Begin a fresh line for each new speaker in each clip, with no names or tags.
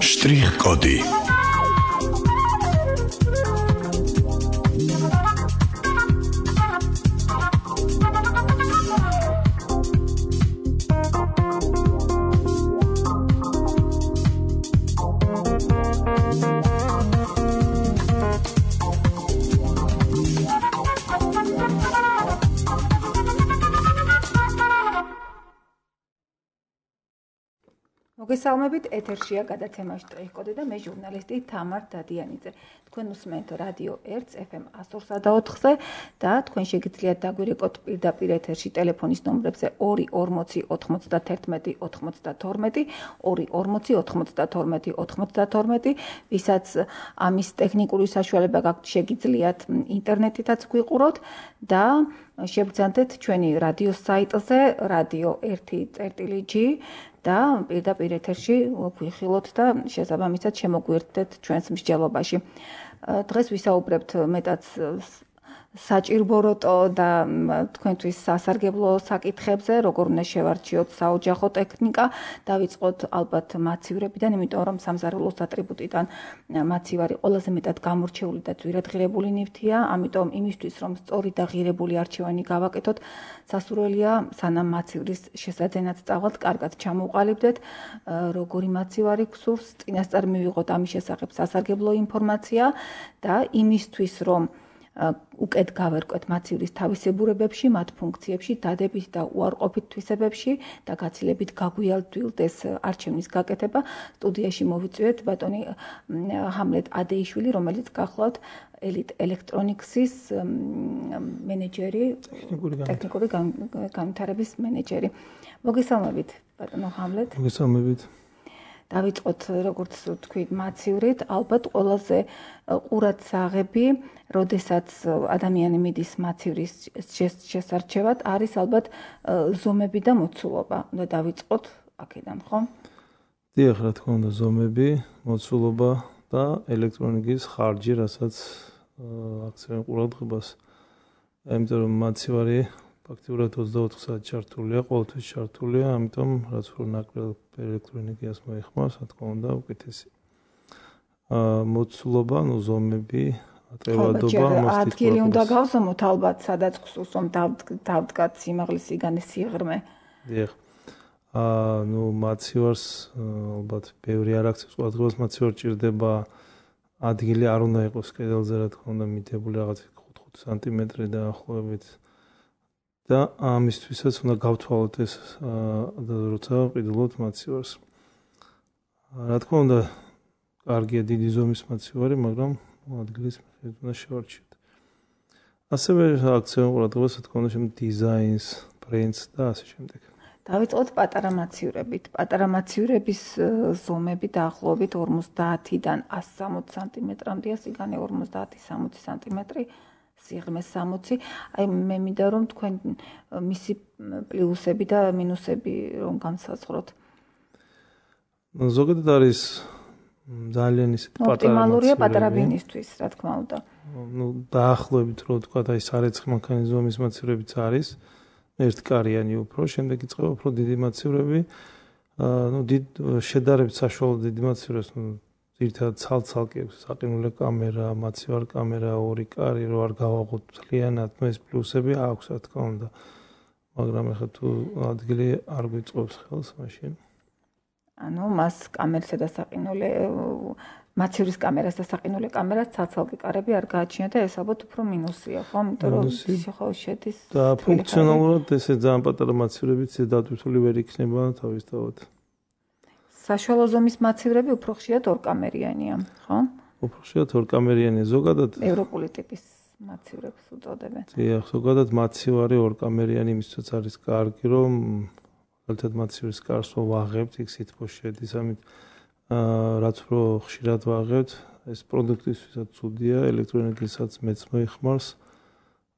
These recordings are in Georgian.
Штрих-коды.
მოგესალმებით, ეთერშია გადაცემა შტრიხ-კოდი და მე ჟურნალისტი თამარ დადიანიძე. თქვენ უსმენთ რადიო 1 FM 104-ზე და თქვენ შეგიძლიათ დაგვირეკოთ პირდაპირ ეთერში ტელეფონის ნომრებზე 240 91 92, 240 92 92, ვისაც ამის ტექნიკური საშუალება გაქვთ, შეგიძლიათ ინტერნეტითაც გვიყუროთ და შეგძანდეთ ჩვენი რადიოს საიტზე radio1.g და პირდაპირ ეთერში გვიხილოთ და შესაბამისად შემოგვიერთდეთ ჩვენს მსჯელობაში. დღეს ვისაუბრებთ მეტად საჭირბოროტო და თქვენთვის სასარგებლო საკითხებზე, როგორ უნდა შევარჩიოთ საოჯახო ტექნიკა, დავიწყოთ ალბათ მაცივრებიდან, იმიტომ რომ სამზარეულოს ატრიბუტიდან მაცივარი ყველაზე მეტად გამორჩეული და ძვირადღირებული ნივთია, ამიტომ იმისთვის რომ სწორი და ღირებული არჩევანი გავაკეთოთ, სასურველია სანამ მაცივრის შესაძენად წავალთ, კარგად ჩამოვყალიბდეთ, როგორი მაცივარი გსურს, წინასწარ მივიღოთ ამის შესახებ სასარგებლო ინფორმაცია და იმისთვის რომ უკეთ გავერკვეთ მაცივრის თავისებურებებში, მათ ფუნქციებში, დადებით და უარყოფით თვისებებში და გაცილებით გაგვიალდვილდეს არჩევნის გაკეთება. სტუდიაში მოვიწვიეთ ბატონი ჰამლეტ ადეიშვილი, რომელიც გახლავთ ელექტრონიქსის მენეჯერი, ტექნიკური განვითარების მენეჯერი. მოგესალმებით, ბატონო ჰამლეტ.
მოგესალმებით.
დავიწყოთ, როგორც თქვი, მაცივრით, ალბათ ყველაზე ყურადსაღები, როდესაც ადამიანი მიდის მაცივრის შესარჩევად, არის ალბათ ზომები და მოცულობა. უნდა დავიწყოთ აქედან, ხო?
დიახ, რა თქმა უნდა, ზომები, მოცულობა და ელექტრონიკის ხარჯი, რასაც აქცევენ ყურადღებას. იმიტომ რომ მაცივარი ფაქტიურად 24 საათი ჩართულია, ყოველთვის ჩართულია, ამიტომ რაც უფრო ნაკლებ ელექტრონიკას მოიხმარს, რა თქმა უნდა, უკეთესი. მოცულობა, ნუ ზომები, ატევადობა,
ადგილი უნდა გავზომოთ ალბათ, სადაც ხსოვს რომ დავდგათ სიმაღლის სიგანის სიღრმე.
დიახ. ნუ მაცივარს ალბათ ბევრი არ აქცევს ყურადღებას, მაცივარ ჭირდება ადგილი არ უნდა იყოს კედელზე, რა თქმა უნდა, მითებული რაღაც 5 სანტიმეტრი დაახლოებით. და ამისთვისაც უნდა გავთვალოთ ეს როცა ყიდულობთ მაცივარს. რა თქმა უნდა, კარგია დიდი ზომის მაცივარი, მაგრამ ადგილის მიხედვით უნდა შევარჩიოთ. ასევე აქცევენ ყურადღებას, რა თქმა უნდა, დიზაინს, ბრენდს და ასე შემდეგ.
დავიწყოთ პატარა მაცივრებით. პატარა მაცივრების ზომები დაახლოებით 50-დან 160 სანტიმეტრამდეა, სიგანე 50-60 სანტიმეტრი. სიღრმე 60. აი მე მინდა რომ თქვენ მისი პლუსები და მინუსები რომ განსაზღვროთ.
ზოგადად არის ძალიან ისეთი
ოპტიმალურია პატარა ბინისთვის, რა თქმა უნდა.
ნუ დაახლოებით რო ვთქვა, აი სარეცხი მანქანის ზომის მაცივრებიც არის. ერთკარიანი უფრო, შემდეგ იწყება უფრო დიდი მაცივრები. ნუ შედარებით საშუალო დიდი მაცივრებს, ნუ ერთად ცალ-ცალკე საყინულე კამერა, მაცივარ კამერა, ორი კარი რო არ გავაღოთ მთლიანად, ეს პლუსები აქვს, რა თქმა უნდა. მაგრამ ახლა თუ ადგილი არ გვიწყობს ხელს, მაშინ
ანუ მას კამერასა და საყინულე მაცივრის კამერას და საყინულე კამერას ცალ-ცალკე კარები არ გააჩნია და ეს ალბათ უფრო მინუსია, ხო? იმიტომ რომ ხო შედის
და ფუნქციონალურად ესე ძალიან პატარა მაცივრებიც დატვირთული ვერ იქნება თავისთავად.
საშუალო ზომის მაცივრები უფრო ხშირად ორკამერიანია, ხო?
უფრო ხშირად ორკამერიანია, ზოგადად
ევროპული ტიპის მაცივრებს უწოდებენ.
დიახ, ზოგადად მაცივარი ორკამერიანი იმისთვისაც არის კარგი, რომ ერთად მაცივრის კარს ვაღებთ, იქ სითბო შედის, ამით რაც უფრო ხშირად ვაღებთ, ეს პროდუქტისთვისაც ცუდია, ელექტრონიკისაც მეც მოიხმარს.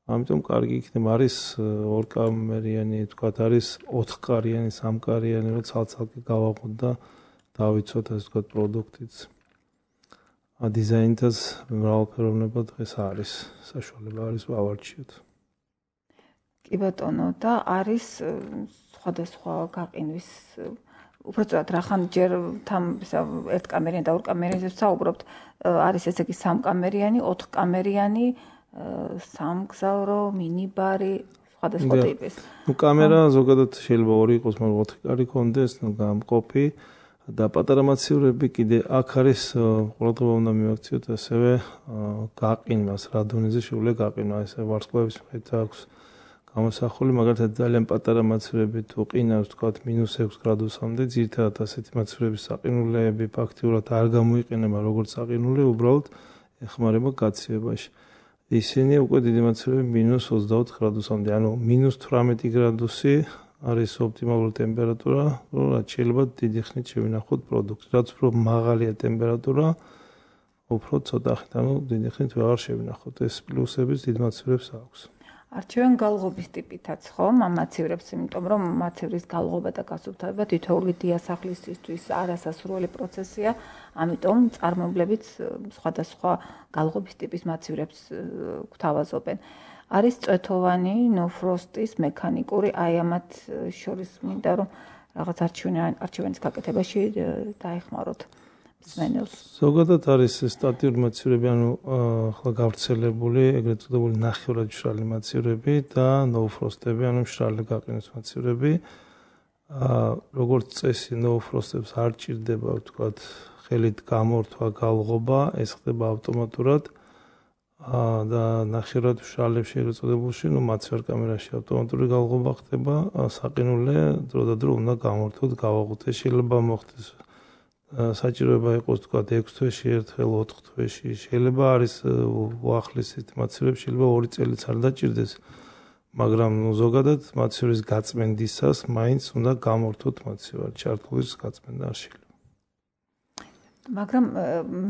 ამიტომ კარგი იქნება, არის ორკამერიანი, თქვათ, არის 4-კარიანი, 3-კარიანი, რომ ცალ-ცალკე გავაღოთ და დავიცოთ ასე ვთქვათ პროდუქტიც. დიზაინთაც მრავალფეროვნება დღეს არის, საშუალება არის ვავარჩიოთ.
კი ბატონო, და არის სხვადასხვა გაყინვის უბრალოდ რახან ჯერ თან ერთკამერიანი და ორკამერიანი საუბრობთ, არის ესე იგი 3 კამერიანი, 4 კამერიანი, სამგზავრო, მინიბარი, სხვადასხვა ტიპის.
კამერა ზოგადად შეიძლება 2 იყოს, მაგრამ 4 კარი კონდეს, გამყოფი და პატარა მაცივრები კიდე აქ არის ყურადღება უნდა მივაქციოთ ასევე გაყინვას, რა დონეზე შეუძლია გაყინვა, ესე ვარსკვლავების მიხედვით აქვს გამოსახული, მაგალითად ძალიან პატარა მაცივრები თუ ყინავს თქვათ -6 გრადუსამდე, ძირითადად ასეთი მაცივრების საყინულეები ფაქტიურად არ გამოიყენება როგორც საყინულე, უბრალოდ ეხმარება გაცივებაში. ისინი უკვე დიდი მაცივრები -24 გრადუსამდე, ანუ -18 გრადუსი არის ოპტიმალური ტემპერატურა, რაც შეიძლება დიდი ხნით შევინახოთ პროდუქტს. რაც უფრო მაღალია ტემპერატურა, უფრო ცოტა ხნით, ანუ დიდი ხნით ვეღარ შევინახოთ. ეს პლუსებიც დიდ მაცივრებს აქვს.
არჩევენ გალღობის ტიპითაც, ხო? ამ მაცივრებს, იმიტომ რომ მაცივრის გალღობა და გასუფთავება თითოეული დიასახლისისთვის არასასურველი პროცესია, ამიტომ წარმოებლებიც სხვადასხვა გალღობის ტიპის მაცივრებს გვთავაზობენ. არის წვეთოვანი, ნო-ფროსტის, მექანიკური, აი ამათ შორის მინდა რომ რაღაც არჩევანის გაკეთებაში დაეხმაროთ მსმენელს.
ზოგადად არის სტატიური მაცივრები, ანუ ახლა გავრცელებული, ეგრეთ წოდებული ნახევრად მშრალი მაცივრები და ნო-ფროსტები, ანუ მშრალი გაყინვის მაცივრები. როგორც წესი, ნო-ფროსტებს არ ჭირდება, ვთქვათ, ხელით გამორთვა, გალღობა, ეს ხდება ავტომატურად. და ნახევრად მშრალებში ეგრეთ წოდებულში, მაცივარ კამერაში ავტომატური გალღობა ხდება, საყინულე დროდადრო უნდა გამორთოთ, გავაღოთ. შეიძლება მოხდეს საჭიროება იყოს თქვათ 6 თვეში ერთხელ, 4 თვეში. შეიძლება არის უახლესით მაცივრებში, შეიძლება 2 წელიც არ დაჭირდეს, მაგრამ ზოგადად მაცივრის გაწმენდისას მაინც უნდა გამორთოთ მაცივარი, ჩართულის გაწმენდა არ შეიძლება.
მაგრამ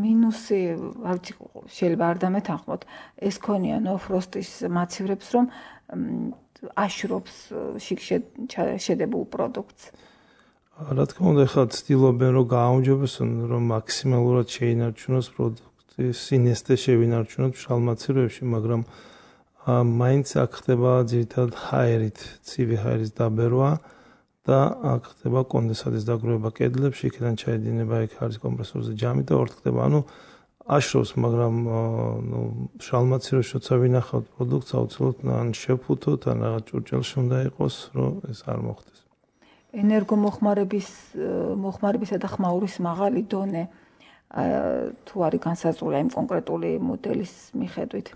მინუსი, არ ვიცი, შეიძლება არ დამეთანხმოთ, ეს ქონია ნო-ფროსტის მაცივრებს, რომ აშრობს შიგ შედებულ პროდუქტს.
რა თქმა უნდა, ხა ცდილობენ რომ გააუმჯობესონ, რომ მაქსიმალურად შეინარჩუნოს პროდუქტის სინესტე შევინარჩუნოთ მშრალ მაცივრებში, მაგრამ მაინც აქ ხდება ძირითადად ჰაერით, ცივი ჰაერის დაბერვა და აქ ხდება კონდენსატის დაგროვება კედლებში, იქიდან ჩაედინება იქ არის კომპრესორზე ჯამი და ორთქდება. ანუ აშრობს, მაგრამ მშრალ მაცივრებში როცა ვინახავთ პროდუქტს, აუცილებლად ან შევფუთოთ, ან რაღაც ჭურჭელში უნდა იყოს, რომ ეს არ მოხდეს.
ენერგომოხმარებისა და ხმაურის მაღალი დონე თუ არის განსაზღვრული იმ კონკრეტული მოდელის მიხედვით.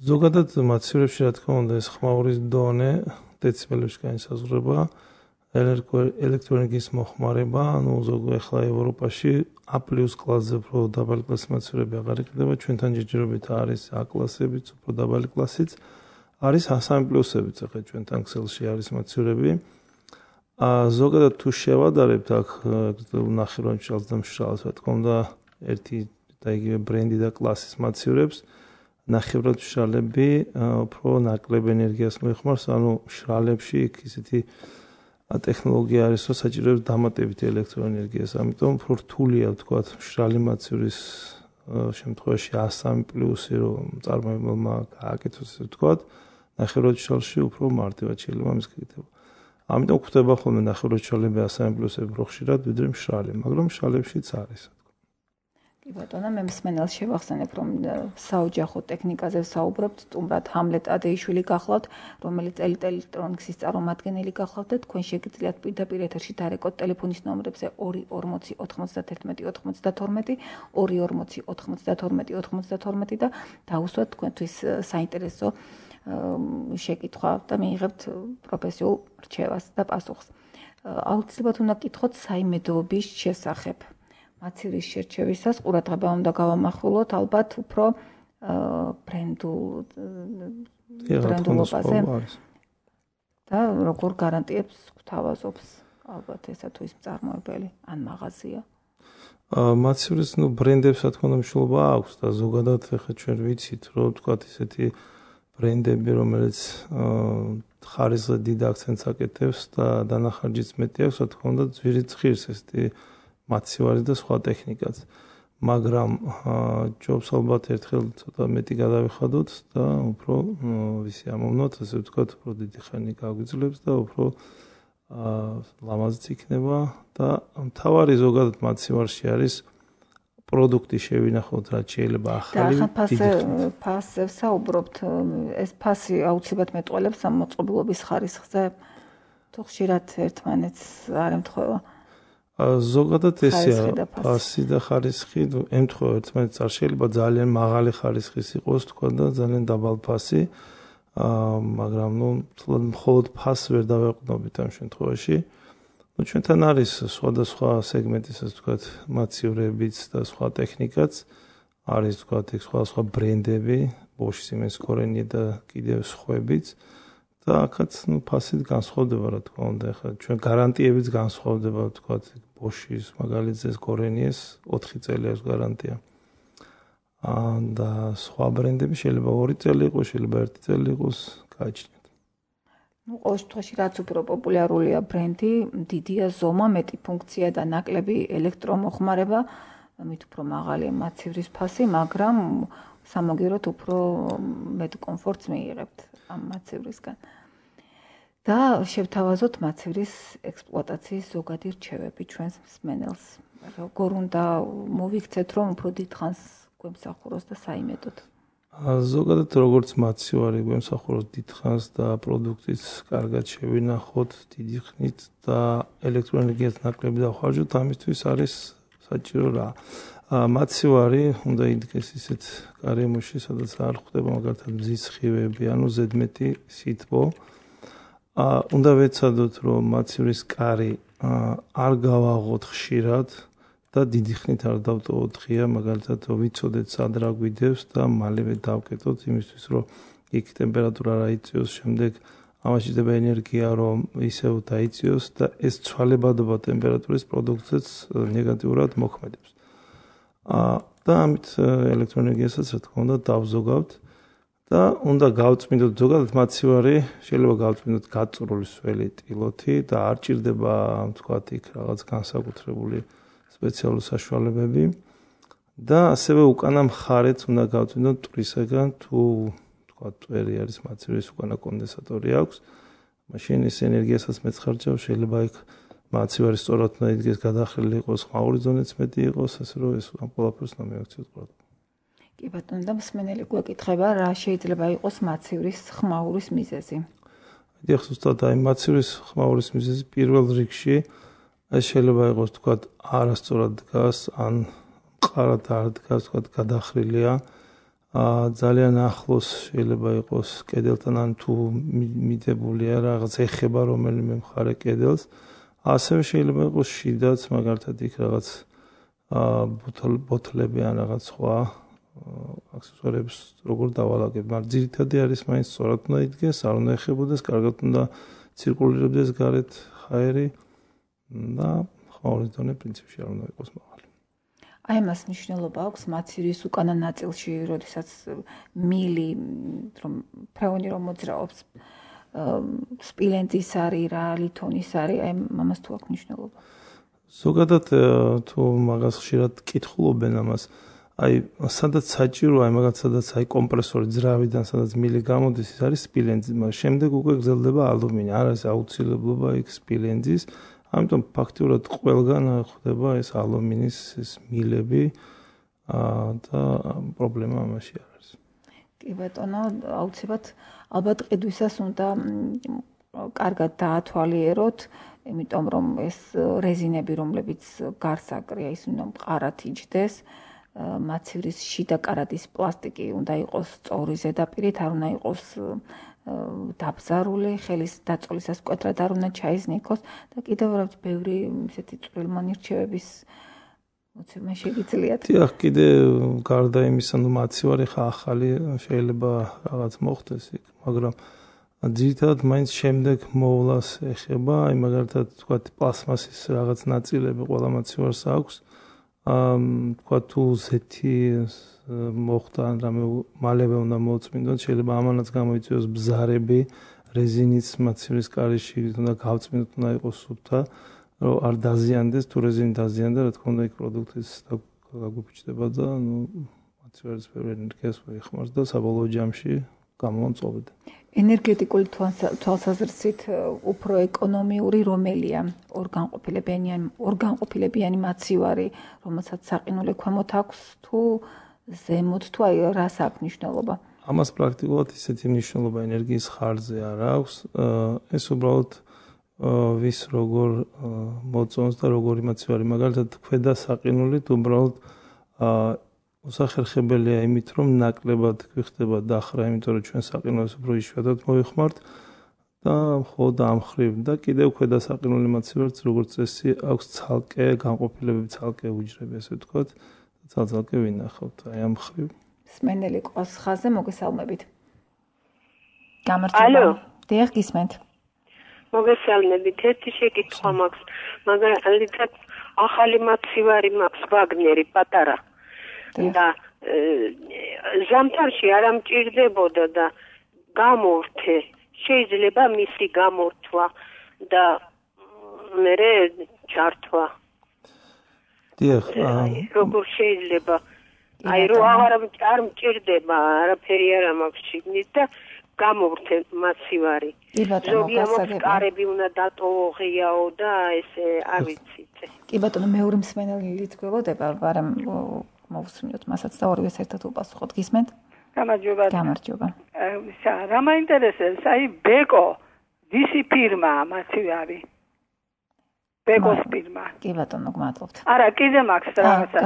ზოგადად მაცივრებში რა თქმა უნდა ეს ხმაურის დონე დეციბელებში განსაზღვრება, ელექტროენერგიის მოხმარება, ანუ ზოგადად ახლა ევროპაში A+ კლასზე უფრო დაბალი კლასის მაცივრები აღარ იყიდება, ჩვენთან ჯერჯერობით არის A კლასებიც, უფრო დაბალი კლასიც, არის A3+-ებიც, ახლა ჩვენთან ქსელში არის მაცივრები. ზოგადად თუ შევადარებთ აქ ნახევრად მშრალს და მშრალს, რა თქმა უნდა, ერთი და იგივე ბრენდი და კლასის მაცივრებს, ნახევრად მშრალები უფრო ნაკლებ ენერგიას მოიხმარს, ანუ მშრალებში იქ ისეთი ტექნოლოგია არის, რომ საჭიროებს დამატებითი ელექტროენერგიას, ამიტომ უფრო რთულია, ვთქვათ, მშრალი მაცივრის შემთხვევაში A3+, რომ წარმოებელმა გააკეთოს, ესე ვთქვათ, ნახევრად მშრალში უფრო მარტივად შეიძლება ამის გაკეთება. ამიტომ გვხვდება ხოლმე ნახევრად მშრალები A3+-ები უფრო ხშირად, ვიდრე მშრალი, მაგრამ მშრალებშიც არის.
კი ბატონო, მე მსმენელს შევახსენებ, რომ საოჯახო ტექნიკაზე ვსაუბრობთ, სტუმრად ჰამლეტ ადეიშვილი გახლავთ, რომელიც ელექტრონიკის წარმომადგენელი გახლავთ და თქვენ შეგიძლიათ პირდაპირ ეთერში დარეკოთ ტელეფონის ნომრებზე 240 91 92, 240 92 92 და დაუსვათ თქვენთვის საინტერესო შეკითხვა და მიიღებთ პროფესიულ რჩევას და პასუხს. აუცილებლად უნდა გკითხოთ საიმედოობის შესახებ. მაცივრის შერჩევისას ყურადღება უნდა გავამახვილოთ ალბათ უფრო ბრენდულობაზე და როგორ გარანტიებს გვთავაზობს ალბათ ესა თუ ის მწარმოებელი ან მაღაზია.
მაცივრის ბრენდებს რა თქმა უნდა მნიშვნელობა აქვს და ზოგადად ახლა ჩვენ ვიცით, რომ თქვათ ისეთი ბრენდები, რომელიც ხარისხზე დიდ აქცენტს აკეთებს და დანახარჯიც მეტი აქვს, რა თქმა უნდა, ძვირით ღირს ესეთი მაცივარი და სხვა ტექნიკაც. მაგრამ ჯობს ალბათ ერთხელ ცოტა მეტი გადავიხადოთ და უფრო ვისი ამოვნოთ, ასე ვთქვათ, უფრო დიდი ხანი გაგვიძლებს და უფრო ლამაზიც იქნება და მთავარი ზოგადად მაცივარში არის პროდუქტი შევინახოთ, რაც შეიძლება ახალი
ფასზე საუბრობთ, ეს ფასი აუცილებლად მეტყველებს ამ მოწყობილობის ხარისხზე, თუ ხშირად ერთმანეთს არ ემთხვევა.
ზოგადად ესეა, ფასი და ხარისხი ემთხვევა ერთმანეთს, არ შეიძლება ძალიან მაღალი ხარისხის იყოს, თქვა და ძალიან დაბალი ფასი, მაგრამ მხოლოდ ფასს ვერ დავეყრდნობით ამ შემთხვევაში. ჩვენთან არის სხვადასხვა სეგმენტის, ასე ვთქვათ, მაცივრებიც და სხვა ტექნიკაც, არის ვთქვათ, სხვადასხვა ბრენდები, Bosch, Siemens, Corenie და კიდევ სხვაებიც და აქაც ფასით განსხვავდება, რა თქმა უნდა, ახლა ჩვენ გარანტიებიც განსხვავდება, ვთქვათ, Bosch-ის, მაგალითზე Corenie-ს 4 წელი აქვს გარანტია. და სხვა ბრენდები შეიძლება 2 წელი იყოს, შეიძლება 1 წელი იყოს, გააჩნიათ.
ყოველ შემთხვევაში რაც უფრო პოპულარულია ბრენდი, დიდია ზომა, მეტი ფუნქცია და ნაკლები ელექტრომოხმარება, მით უფრო მაღალია მაცივრის ფასი, მაგრამ სამაგიეროდ უფრო მეტ კომფორტს მიიღებთ ამ მაცივრისგან. და შევთავაზოთ მაცივრის ექსპლუატაციის ზოგადი რჩევები ჩვენს მსმენელს. როგორ უნდა მოვიქცეთ, რომ უფრო დიდხანს გვემსახუროს და საიმედოდ.
ზოგადად როგორც მაცივარი გვემსახუროს დიდხანს და პროდუქტიც კარგად შევინახოთ დიდი ხნით და ელექტროენერგიას ნაკლები დავხარჯოთ, ამისთვის არის საჭირო რა. მაცივარი უნდა იდგეს ისეთ გარემოში, სადაც არ ხვდება მაგალითად მზის სხივები, ანუ ზედმეტი სითბო. უნდა ვეცადოთ, რომ მაცივრის კარი არ გავაღოთ ხშირად და დიდი ხნით არ დავტოვოთ ღია, მაგალითად ვიცოდეთ სად რა გვიდევს და მალევე დავკეტოთ იმისთვის, რომ იქ ტემპერატურა რა იწიოს, შემდეგ ამაში დება ენერგია, რომ ისევ დაიწიოს და ეს ცვალებადობა ტემპერატურის პროდუქტზეც ნეგატიურად მოქმედებს. და ამით ელექტროენერგიასაც რა თქმა უნდა დავზოგავთ და უნდა გავწმინდოთ ზოგადად მაცივარი, შეიძლება გავწმინდოთ გაწვრული სველი ტილოთი და არ ჭირდება თქვათ იქ რაღაც განსაკუთრებული სპეციალური საშუალებები და ასევე უკანა მხარეც უნდა გავწმინდოთ მტვრისაგან, თუ თქვათ წვერი არის მაცივრის უკანა კონდენსატორი აქვს, მაშინ ეს ენერგიასაც მეცხარჯავს, შეიძლება იქ მაცივარი სწორად უნდა იდგეს, გადახრილი იყოს, ხმაური ზონეც მეტი იყოს, ასე რომ ეს ამ ყველაფერს უნდა მივაქციოთ ყურადღება.
კი ბატონო, და მსმენელი გვეკითხება, რა შეიძლება იყოს მაცივრის ხმაურის მიზეზი?
დიახ, ზუსტად აი მაცივრის ხმაურის მიზეზი პირველ რიგში ეს შეიძლება იყოს, თქვათ, არასწორად დგას, ან მყარად არ დგას, თქვათ, გადახრილია. ძალიან ახლოს შეიძლება იყოს კედელთან, ან თუ მიდებულია რაღაც ეხება რომელიმე მხარე კედელს. ასევე შეიძლება იყოს შიდაც, მაგალითად იქ რაღაც ბოთლები ან რაღაც სხვა აქსესუარებს როგორ დავალაგებ, მაგრამ ძირითადი არის მაინც სწორად უნდა იდგეს, არ უნდა ეხებოდეს, კარგად უნდა ცირკულირებდეს გარეთ ჰაერი და ხმაურის დონე პრინციპში არ უნდა იყოს მაღალი.
აი ამას მნიშვნელობა აქვს მაცივრის უკანა ნაწილში, როდესაც მილი, რომ ფრეონი რომ მოძრაობს, სპილენძის არის რა, ლითონის არის, აი ამას თუ აქვს მნიშვნელობა?
ზოგადად თუ მაგას ხშირად კითხულობენ ამას, აი სადაც საჭირო, აი მაგათ სადაც აი კომპრესორი ძრავიდან სადაც მილი გამოდის, ის არის სპილენძი, მაგრამ შემდეგ უკვე გრძელდება ალუმინი, არ არის აუცილებლობა იქ სპილენძის, ამიტომ ფაქტიურად ყველგან ხდება ეს ალუმინის ეს მილები და პრობლემა ამაში არ არის.
კი ბატონო, აუცილებლად ალბათ ყიდვისას უნდა კარგად დაათვალიეროთ, იმიტომ რომ ეს რეზინები, რომლებიც გარს აკრია, ის უნდა მყარად იჯდეს. მაცივრის შიდა კარადის პლასტიკი უნდა იყოს სწორი ზედაპირით, არ უნდა იყოს დაბზარული, ხელის დაწოლისას მკვეთრად არ უნდა ჩაიზნიქოს და კიდევ რაღაც ბევრი ისეთი წვრილმანირჩევების მოცემა შეგიძლიათ.
დიახ, კიდე გარდა იმისა, მაცივარი ხა ახალი შეიძლება რაღაც მოხდეს იქ, მაგრამ ძირითადად მაინც შემდეგ მოვლას ეხება, აი მაგალითად თქვათ პლასმასის რაღაც ნაწილები ყველა მაცივარს აქვს. თქვა თუ ზეთი მოხდა ან რამე მალევე უნდა მოწმინდოთ, შეიძლება ამანაც გამოიწვიოს ბზარები, რეზინიც მაცივრის კარიში უნდა გავწმინდოთ, უნდა იყოს სუფთა, რომ არ დაზიანდეს, თუ რეზინი დაზიანდა, რა თქმა უნდა იქ პროდუქტის გაგვიფიჩდება და მაცივარის ბევრი ენერგიას მოიხმარს და საბოლოო ჯამში გამომწოვებდა.
ენერგეტიკული თვალსაზრისით უფრო ეკონომიური რომელია ორგანყოფილებიანი მაცივარი, რომელსაც საყინულე ქვემოთ აქვს თუ ზემოთ თუ აი რას აქვს მნიშვნელობა?
ამას პრაქტიკულად ისეთი მნიშვნელობა ენერგიის ხარჯზე არ აქვს. ეს უბრალოდ ვის როგორ მოწონს და როგორი მაცივარი, მაგალითად ქვედა საყინულით უბრალოდ უსახერხებელია იმით, რომ ნაკლებად გვიხდება დახრა, იმიტომ რომ ჩვენ საყინულს უფრო იშვიათად მოვიხმართ და მხოლოდ ამ ხრივ და კიდევ ქვედა საყინული მაცივარიც როგორც წესი აქვს ცალკე განყოფილებები, ცალკე უჯრები, ასე ვთქვათ, ცალკე ვინახავთ აი ამ ხრივ.
სმენელი ყავს ხაზზე, მოგესალმებით. გამარჯობა. დიახ, გისმენთ.
მოგესალმებით. ერთი შეკითხვა მაქვს, მაგალითად ახალი მაცივარი მაქვს ვაგნერი პატარა. და ზამთარში არ ამჭირდებოდა და გამორთე. შეიძლება მისი გამორთვა და მერე ჩართვა.
დიახ,
როგორ შეიძლება? აი რო არ მჭირდება, არაფერი არ მაქვს შიგნით და გამორთე მაცივარი. ზოგიერთი კარები უნდა დატოვოღიაო და ესე არ ვიცით.
კი ბატონო, მეორე მსმენელიც გველოდება, მაგრამ მოვუსმინოთ მასაც და ორივეს ერთად უპასუხოთ. გისმენთ?
გამარჯობა.
გამარჯობა.
რა მაინტერესებს, აი ბეკო, ვისი ფირმაა მაცივარი? ბეკოს ფირმა.
კი ბატონო, გმადლობთ.
არა, კიდე მაქვს რაღაცა.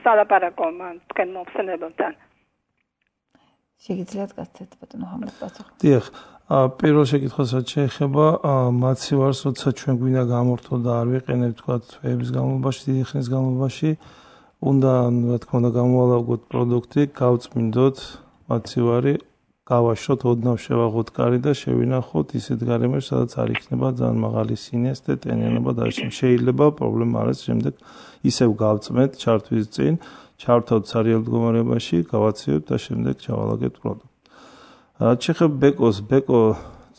სალაპარაკო მან თქვენ მომხსენებელთან.
შეგიძლიათ გასცეთ ბატონო ამბავსახო.
დიახ, პირველ შეკითხვასაც შეეხება მაცივარს, როცა ჩვენ გვინდა გამორთო და არ ვიყენებთ თქვა თვეების განმავლობაში, დიდი ხნის განმავლობაში, უნდა რა თქმა უნდა გამოვალავგოთ პროდუქტი, გავწმინდოთ მაცივარი, გავაშროთ, ოდნავ შევაღოთ კარი და შევინახოთ ისეთ გარემოში, სადაც არ იქნება ძალიან მაღალი სინესტე, ტენიანობა და შეიძლება პრობლემა არის შემდეგ ისევ გავწმენთ ჩართვის წინ, ჩავთავთ სარიელ მდგომარეობაში, გავაცივებთ და შემდეგ ჩავალაგებთ პროდუქტს. რაც შეეხება ბეკოს, ბეკო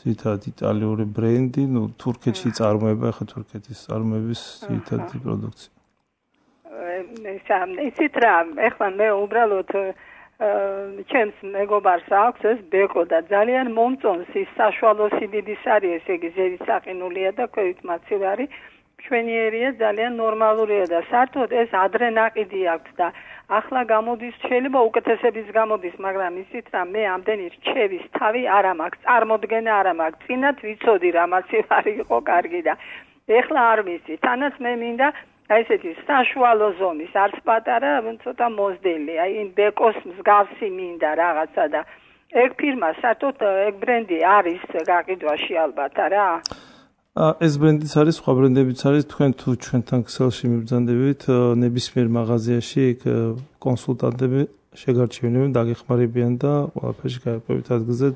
ძირითადად იტალიური ბრენდი, თურქეთში წარმოება, ახლა თურქეთის წარმოების ძირითადი პროდუქცია.
ისეთ რა, ეხლა მე უბრალოდ ჩემს მეგობარს აქვს ეს ბეკო და ძალიან მომწონს ის საშუალო სიდიდის არის, ესე იგი ზევის საყინულია და ქვევით მაცივარი ჩვენიერია, ძალიან ნორმალურია და საერთოდ ეს ადრე ნაყიდი აქვს და ახლა გამოდის, შეიძლება უკეთესების გამოდის, მაგრამ ისიც რა მე ამდენი რჩევის თავი არ მაქვს, წარმოდგენა არ მაქვს. წინათ ვიცოდი რა მაცივარი იყო კარგი და ეხლა არ ვიცი. თანაც მე მინდა აი ესეთი საშუალო ზომის, არც პატარა, ცოტა მოზდელი, აი იმ ბეკოს მსგავსი მინდა რაღაცა და ეგ ფირმა საერთოდ ეგ ბრენდი არის გაყიდვაში ალბათ არა?
ეს ბრენდიც არის, სხვა ბრენდებიც არის, თქვენ თუ ჩვენთან ქსელში მიბრძანდებით, ნებისმიერ მაღაზიაში იქ კონსულტანტები შეგარჩენილებენ, დაგეხმარებიან და ყველაფერში გაერკვევით ადგილზე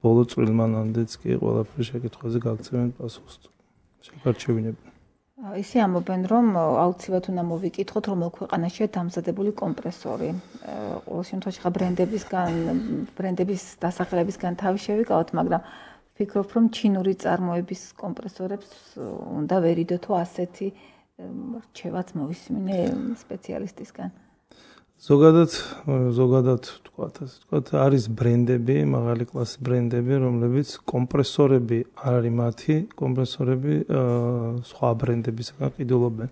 ბოლო წვრილმანამდეც კი ყველაფერი შეკითხვაზე გაგცემენ პასუხს. შეგარჩენილებენ.
ისე ამბობენ, რომ აუცილებლად უნდა მოვიკითხოთ, რომელ ქვეყანაშია დამზადებული კომპრესორი. ყოველ შემთხვევაში ხა ბრენდების დასახელებისგან თავი შევიკავოთ, მაგრამ ვფიქრობ, რომ ჩინური წარმოების კომპრესორებს უნდა ვერიდო თუ ასეთი რჩევაც მოვისმინე სპეციალისტისგან.
ზოგადად ვთქვათ, არის ბრენდები, მაღალი კლასის ბრენდები, რომლებიც კომპრესორები არ არის მათი, კომპრესორები სხვა ბრენდებისგან ყიდულობენ.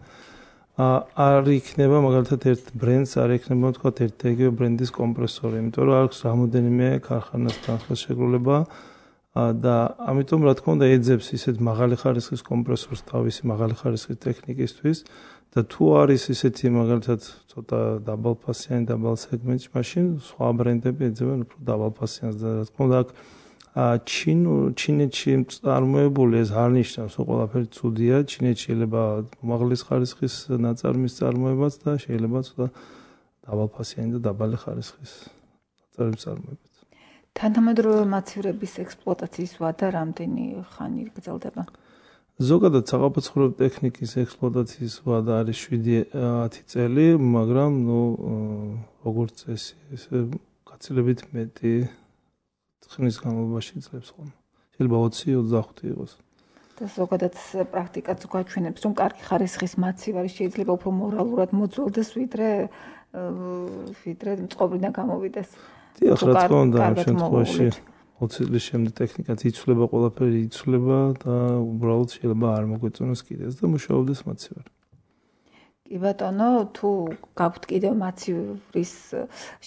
არ იქნება მაგალითად ერთ ბრენდს არ იქნება ვთქვათ ერთ იგივე ბრენდის კომპრესორი, იმიტომ რომ აქვს რამოდენიმე ქარხანასთან ხელშეკრულება და ამიტომ რა თქმა უნდა ეძებს ისეთ მაღალი ხარისხის კომპრესორს თავისი მაღალი ხარისხის ტექნიკისთვის და თუ არის ისეთი მაგალითად ცოტა დაბალფასიანი დაბალ სეგმენტში, მაშინ სხვა ბრენდები ეძებენ უფრო დაბალფასიანს და რა თქმა უნდა ჩინეთში წარმოებული ეს არ ნიშნავს, რომ ყველაფერი ცუდია, ჩინეთში შეიძლება უმაღლეს ხარისხის ნაწარმის წარმოებაც და შეიძლება ცოტა დაბალფასიანი და დაბალი ხარისხის ნაწარმის წარმოებაც.
თანამედროვე მაცივრების ექსპლუატაციის ვადა რამდენი ხანი გრძელდება?
ზოგადად საყოფაცხოვრებო ტექნიკის ექსპლუატაციის ვადა არის 7-10 წელი, მაგრამ როგორც წესი, ესე გაცილებით მეტი ხნის განმავლობაში ძლებს ხოლმე. შეიძლება 20-25 იყოს.
და ზოგადად პრაქტიკაც გვაჩვენებს, რომ კარგი ხარისხის მაცივარი შეიძლება უფრო მორალურად მოძველდეს, ვიდრე მწყობრიდან გამოვიდეს.
დიახ, რა თქმა უნდა, ამ შემთხვევაში 20 წლის შემდეგ ტექნიკაც იცვლება, ყველაფერი იცვლება და უბრალოდ შეიძლება არ მოგვეწონოს კიდეც და მუშაობდეს მაცივარი.
კი ბატონო, თუ გაქვთ კიდევ მაცივრის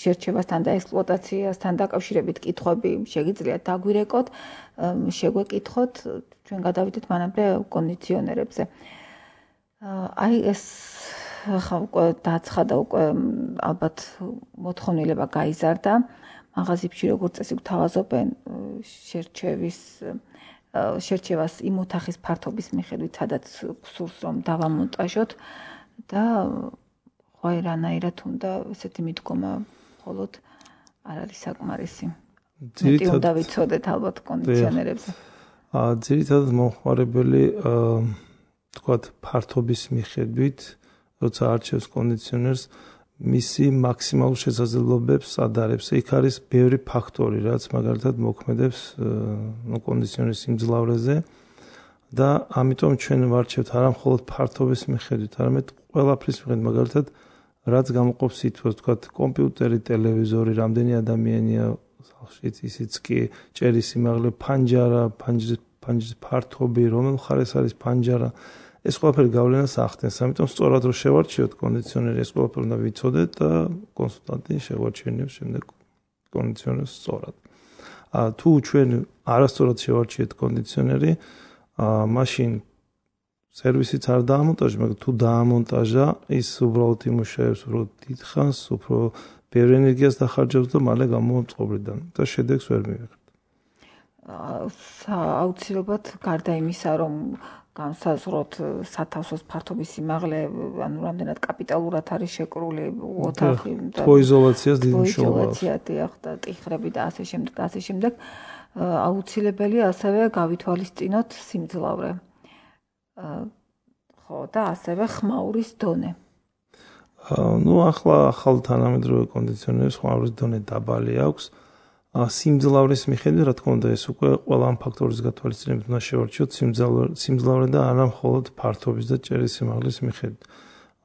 შერჩევასთან და ექსპლუატაციასთან დაკავშირებით კითხვები, შეგიძლიათ დაგვირეკოთ, შეგვეკითხოთ, ჩვენ გადავიდეთ მანამდე კონდიციონერებზე. აი ეს ხა უკვე დაცხადა, უკვე ალბათ მოთხოვნილება გაიზარდა. მაღაზიებში როგორც წესი გვთავაზობენ შერჩევას იმ ოთახის ფართობის მიხედვით, სადაც გსურს რომ დავამონტაჟოთ და ხო რანაირად უნდა ესეთი მიდგომა მხოლოდ არ არის საკმარისი. მეტი უნდა ვიცოდეთ ალბათ კონდიციონერებზე.
ძირითადად მომხმარებელი თქვათ ფართობის მიხედვით, როცა არჩევს კონდიციონერს, მისი მაქსიმალურ შესაძლებლობებს ადარებს. იქ არის ბევრი ფაქტორი, რაც მაგალითად მოქმედებს კონდიციონერის სიმძლავრეზე და ამიტომ ჩვენ ვარჩევთ არა მხოლოდ ფართობის მიხედვით, არამედ ყველაფრის მიხედვით, მაგალითად რაც გამოყოფს სითბოს, თქვათ კომპიუტერი, ტელევიზორი, რამდენი ადამიანია სახლში, ისიც კი ჭერის სიმაღლე, ფანჯრის ფართობი, რომელ მხარეს არის ფანჯარა, ეს ყველაფერი გავლენას ახდენს. ამიტომ სწორად რომ შევარჩიოთ კონდიციონერი, ეს ყველაფერი უნდა ვიცოდეთ და კონსულტანტი შევარჩენებს შემდეგ კონდიციონერს სწორად. თუ ჩვენ არასწორად შევარჩიეთ კონდიციონერი, მაშინ სერვისიც არ დაამონტაჟა, მაგრამ თუ დაამონტაჟა, ის უბრალოდ იმუშავებს უფრო დიდ ხანს, უფრო ბევრი ენერგიას დახარჯავს და მალე გამომწყობრიდან და შედეგს ვერ მივიღებთ.
აუცილებლად გარდა იმისა, რომ განსაზღვროთ სათავსოს ფართობის სიმაღლე, ანუ რამდენად კაპიტალურად არის შეკრული ოთახი
და თოიზოლაციას დიდი მნიშვნელობა აქვს.
დიახ, და ტიხრები და ასე შემდეგ და ასე შემდეგ. აუცილებელია ასევე გავითვალისწინოთ სიმძლავრე. ხო, და ასევე ხმაურის დონე.
ახლა ახალ თანამედროვე კონდიციონერებს ხმაურის დონე დაბალი აქვს. სიმძლავრის მიხედვით, რა თქმა უნდა, ეს უკვე ყველა ამ ფაქტორის გათვალისწინებით უნდა შევარჩიოთ სიმძლავრე და არა მხოლოდ ფართობის და ჭერის სიმაღლის მიხედვით.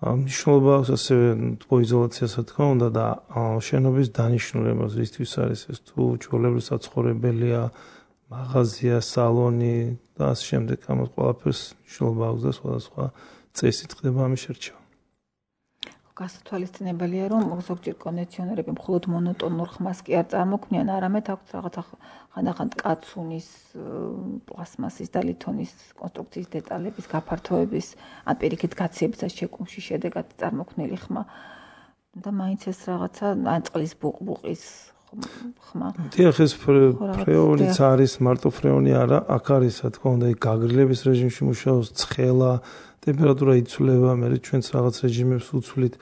მნიშვნელობა აქვს ასევე თოიზოლაციას, რა თქმა უნდა, და შენობის დანიშნულებას, რისთვის არის ეს, თუ ჩვეულებრივ საცხოვრებელია, მაღაზია, სალონი და ასე შემდეგ, ამას ყველაფერს მნიშვნელობა აქვს და სხვადასხვა წესით ხდება ამის შერჩევა.
გასათვალისწინებელია, რომ ზოგჯერ კონდიციონერები მხოლოდ მონოტონურ ხმას კი არ წარმოქმნიან, არამედ აქვთ რაღაცა ხანდახან კაცუნის, პლასმასის და ლითონის კონსტრუქციის დეტალების გაფართოების, ან პირიქით გაციებისა შეკუმში შედეგად წარმოქმნილი ხმა. და მაინც ეს რაღაცა ან წყლის ბუყბუყის ხმა.
დიახ, ეს ფრეონიც არის, მარტო ფრეონი არა, აქ არის, რა თქმა უნდა, გაგრილების რეჟიმში მუშაობს, ცხელა, ტემპერატურა იცვლება, მე ჩვენც რაღაც რეჟიმებს ვუცვლით.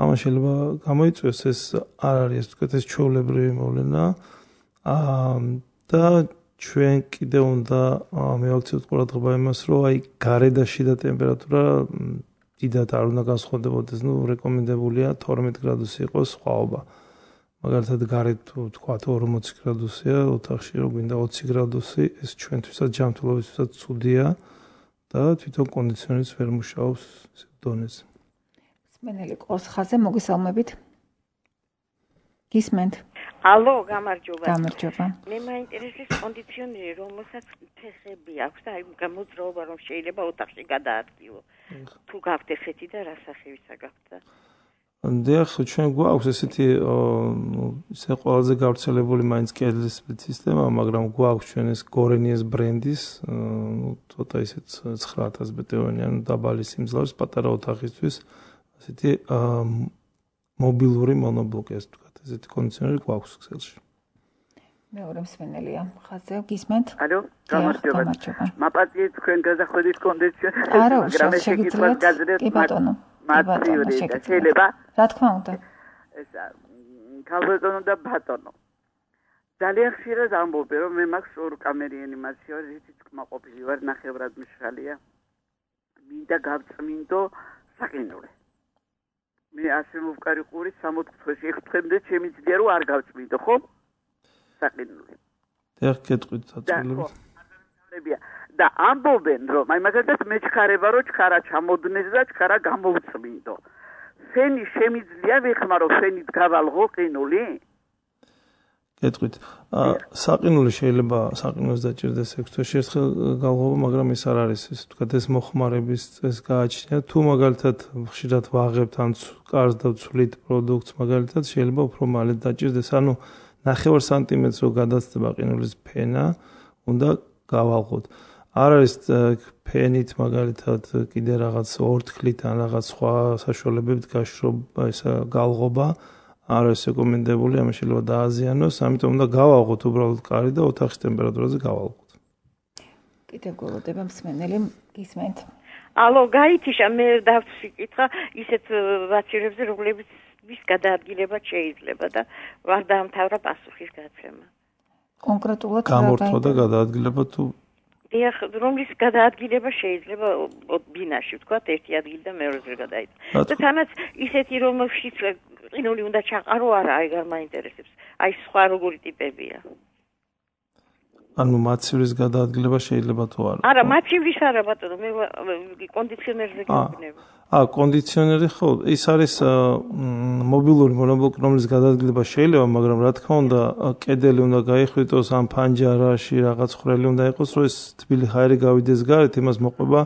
ამან შეიძლება გამოიწვიოს, ეს არ არის, ასე ვთქვათ, ეს ჩვეულებრივი მოვლენა. და ჩვენ კიდევ უნდა მივაქციოთ ყურადღება იმას, რომ აი გარე და შიდა ტემპერატურა დიდად არ უნდა განსხვავდებოდეს, რეკომენდებულია 12 გრადუსი იყოს სხვაობა. მაგალითად გარეთ თუ თქვათ 40 გრადუსია ოთახში, რომ გვინდა 20 გრადუსი, ეს ჩვენთვისაც ჯანმრთელობისთვისაც ცუდია და თვითონ კონდიციონერიც ვერ მუშაობს ისეთ დონეზე.
სმენელი ყოს ხაზე მოგესალმებით. გისმენთ.
ალო, გამარჯობა.
გამარჯობა.
მე მაინტერესებს კონდიციონერი, რომელსაც ფეხები აქვს და აი გამოძრაობა რომ შეიძლება ოთახში გადაადგილო. თუ გაქვთ ესეთი და რა სახევისა გაქვთ?
დიახ, ჩვენ გვაქვს ესეთი ისე ყველაზე გავრცელებული მაინც კედლის სისტემა, მაგრამ გვაქვს ჩვენ ეს გორენიეს ბრენდის, ცოტა ისეთ 9000 ბტვ-იანი, ანუ დაბალი სიმძლავრის პატარა ოთახისთვის, ასეთი მობილური მონობლოკი, ასე ვთქვათ, ესეთი კონდიციონერი გვაქვს ქსელში.
მეორე მსმენელია ხაზე, გისმენთ?
ალო, გამარჯობა. მაპატიეთ თქვენ გაზახვედით კონდიციონერს,
მაგრამ ეს შეგიძლიათ გაზრდეთ. კი ბატონო.
შეიძლება?
რა თქმა უნდა.
ესა ქალბატონო და ბატონო. ძალიან ხშირად ამბობ, რომ მე მაქვს ორკამერიანი მაცივარი, რითიც კმაყოფილი ვარ, ნახევრად მშრალია. მინდა გავწმინდო საყინულე. მე ასე მოვკარი ყური 60-ში, 6-მდე შემიძლია რომ არ გავწმინდო, ხო? საყინულე.
დიახ, გეტყვით საწოლებით.
და ამბობენ, რომ აი მაგალითად მე ჩქარება, რომ ჩქარა ჩამოდნეს და ჩქარა გამოვწმინდო. ფენი შემიძლია ვიხმარო, ფენით გავალღო ყინული?
გეტყვით. საყინული შეიძლება საყინოს დაჭირდეს 6 თვეში ერთხელ გალღობა, მაგრამ ეს არ არის ეს თქვა ეს მოხმარების წესს გააჩნია. თუ მაგალითად ხშირად ვაღებთ ან კარს და ვცვლით პროდუქტს, მაგალითად შეიძლება უფრო მალე დაჭირდეს. ანუ 9 სანტიმეტრს რო გადაცდება ყინულის ფენა, უნდა გავალღოთ. არ არის ფენით მაგალითად კიდე რაღაც ორთქლით ან რაღაც სხვა საშუალებებით გაშრობა ესა გალღობა არ არის რეკომენდებული, ამას შეიძლება დააზიანოს, ამიტომ უნდა გავავღოთ უბრალოდ კარი და ოთახის ტემპერატურაზე გავავღოთ.
კიდევ გველოდება მსმენელი, გისმენთ.
ალო, გაითიშა, მე დავსიკითხა ისეთ ვაცირებზე, რომლებიც ვის გადაადგილება შეიძლება და ვარ დაამთავრა პასუხის გაცემა.
კონკრეტულად
გამორთვა და გადაადგილება თუ
დიახ, რომლის გადაადგილება შეიძლება ბინაში, ვთქვათ, ერთი ადგილი და მეორეზე გადაიწყო. და თანაც ისეთი რომელშიც ყინული უნდა ჩაყარო, არა, აი არ მაინტერესებს. აი სხვა როგორი ტიპებია.
ანუ მაცივრის გადაადგილება შეიძლება თუ არა?
არა, მაცივრის არა ბატონო, მე კონდიციონერზე გიგნება.
კონდიციონერი ხო, ის არის მობილური მონაბლოკი, რომლის გადაადგილება შეიძლება, მაგრამ რა თქმა უნდა, კედელი უნდა გაიხვიტოს, ან ფანჯარაში რაღაც ხვრელი უნდა იყოს, რომ ეს თბილი ჰაერი გავიდეს გარეთ, იმას მოყვება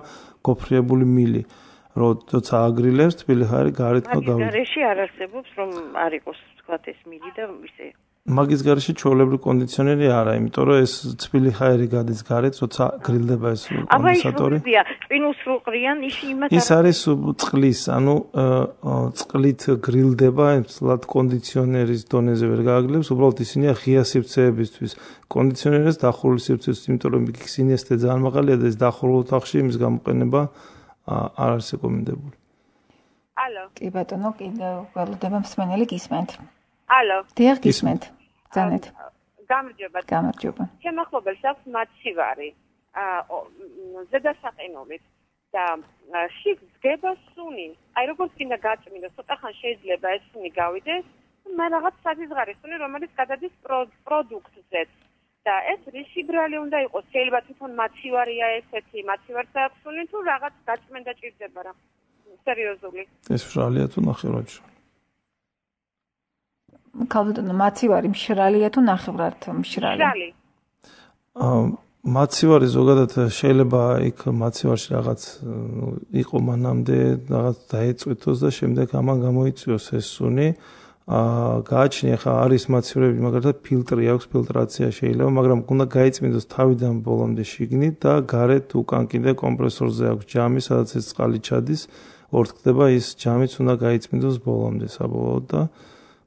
გოფრიებული მილი. როცა აგრილებს, თბილი ჰაერი გარეთ გავიდეს.
გარეში არ არსებობს, რომ არ იყოს, თქვათ, ეს მილი და ისე.
მაგის გარეში ჩვეულებრივ კონდიციონერი არა, იმიტომ რომ ეს თბილი ჰაერი გადის გარეთ, როცა გრილდება ეს კონდენსატორი.
აბა, ყინულს რო ყრიან, იმათ
ის არის წყლის, ანუ წყლით გრილდება, სწორად კონდიციონერის დონეზე ვერ გააგლებს, უბრალოდ ისინია ღია სივრცეებისთვის. კონდიციონერს დახურული სივრცეებისთვის, იმიტომ რომ ისინი ესეთი ძალიან მაღალია და ეს დახურულ ოთახში იმის გამოყენება არ არის რეკომენდებული.
ალო.
კი ბატონო, კიდევ გველოდება მსმენელი, გისმენთ.
ალო.
დიახ, გისმენთ. ძანეთ.
გამარჯობა.
გამარჯობა.
შემახობელს აქვს მაცივარი. ზედასაყინულით და შიგ დგება სუნი. აი როგორც კიდე გაწმინდა, ცოტა ხან შეიძლება ეს სუნი გავიდეს, მაგრამ რაღაც საზღარი სუნი, რომელიც გადადის პროდუქტზე. და ეს რისი ბრალი უნდა იყოს? შეიძლება თვითონ მაცივარია ესეთი, მაცივარს აქვს სუნი თუ რაღაც გაწმინდა ჭირდება რა. სერიოზული.
ეს ბრალია თუ ნახევრად?
ქალბატონო, მაცივარი მშრალია თუ ნახევრად მშრალი?
მშრალი.
მაცივარი ზოგადად შეიძლება იქ მაცივარში რაღაც იყო მანამდე რაღაც დაეწვითოს და შემდეგ ამან გამოიწვიოს ეს სუნი. გააჩნია ხა არის მაცივარები, მაგალითად ფილტრი აქვს, ფილტრაცია შეიძლება, მაგრამ უნდა გაიწმინდოს თავიდან ბოლომდე შიგნით და გარეთ უკან კიდე კომპრესორზე აქვს ჯამი, სადაც ეს წყალი ჩადის, ორთქლდება ის ჯამიც უნდა გაიწმინდოს ბოლომდე საბოლოოდ და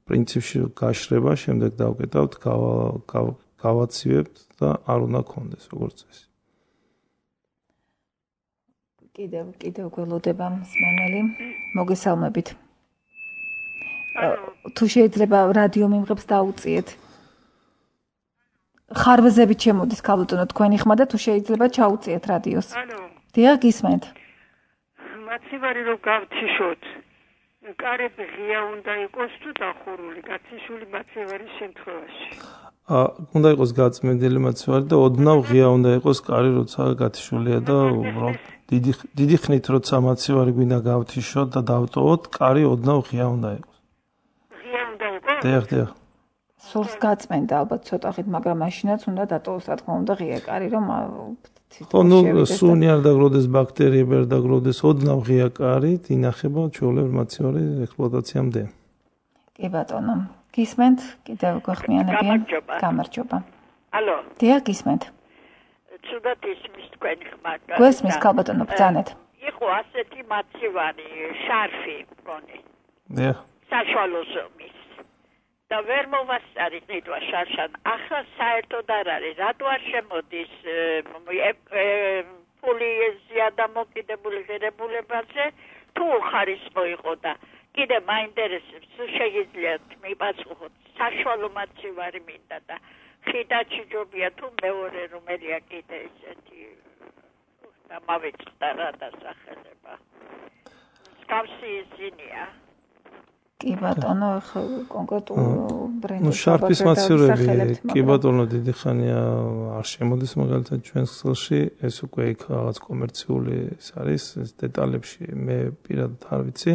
პრინციპში გაშრება, შემდეგ დავკეტავთ, გავაცივებთ და არ უნდა გქონდეს როგორც წესი.
კიდევ გველოდება მსმენელი, მოგესალმებით. თუ შეიძლება რადიო მიმღებს დაუწიეთ. ხარვეზებით შემოდის ქალბატონო თქვენი ხმა და თუ შეიძლება ჩაუწიეთ რადიოს.
ანუ
დიახ, გისმენთ.
მაცივარი რო გავთიშოთ, კარები ღია უნდა იყოს თუ დახურული, გათიშული მაცივარის შემთხვევაში.
უნდა იყოს გაწმენდილი მაცივარი და ოდნავ ღია უნდა იყოს კარი, როცა გათიშულია და უბრალოდ დიდი ხნით როცა მაცივარი გვინდა გავთიშოთ და დავტოვოთ, კარი ოდნავ ღია უნდა იყოს. დიახ.
სულს გაწმენდა ალბათ ცოტა ხით, მაგრამ მაშინაც უნდა დატოვოს რა თქმა უნდა ღია კარი, რომ
ნუ სუნი არ დაგროვდეს, ბაქტერიები არ დაგროვდეს, ოდნავ ღია კარით ინახება ჩვეულებრივ მაცივარი ექსპლუატაციამდე.
კი ბატონო. გისმენთ? კიდევ გვეხმიანებიან? გამარჯობა.
ალო.
დიახ, გისმენთ.
ცუდად ისმის თქვენი ხმა.
გვესმის ქალბატონო, ბრძანეთ.
იყო ასეთი მაცივარი, შარფი მგონი.
დიახ.
საშუალო ზომის. და ვერ მოვასწარით ნიტვა შარშან. ახლა საერთოდ არ არის. რატო არ შემოდის ფული ზიადამოკიდებული ღირებულებაზე თუ ხარისხო იყო და კიდე მაინტერესებს თუ შეგიძლიათ მიპასუხოთ საშუალო მაცივარი მინდა და ხიდაჩი ჯობია თუ მეორე რომელია კიდე ესეთი და მავეწყდა რა დასახელება. მსგავსი ისინია.
კი ბატონო, კონკრეტულ ბრენდს
შარფის მაცივარები, კი ბატონო, დიდი ხანია არ შემოდის მაგალითად ჩვენს ხელში, ეს უკვე იქ რაღაც კომერციული ის არის, ეს დეტალებში მე პირადად არ ვიცი.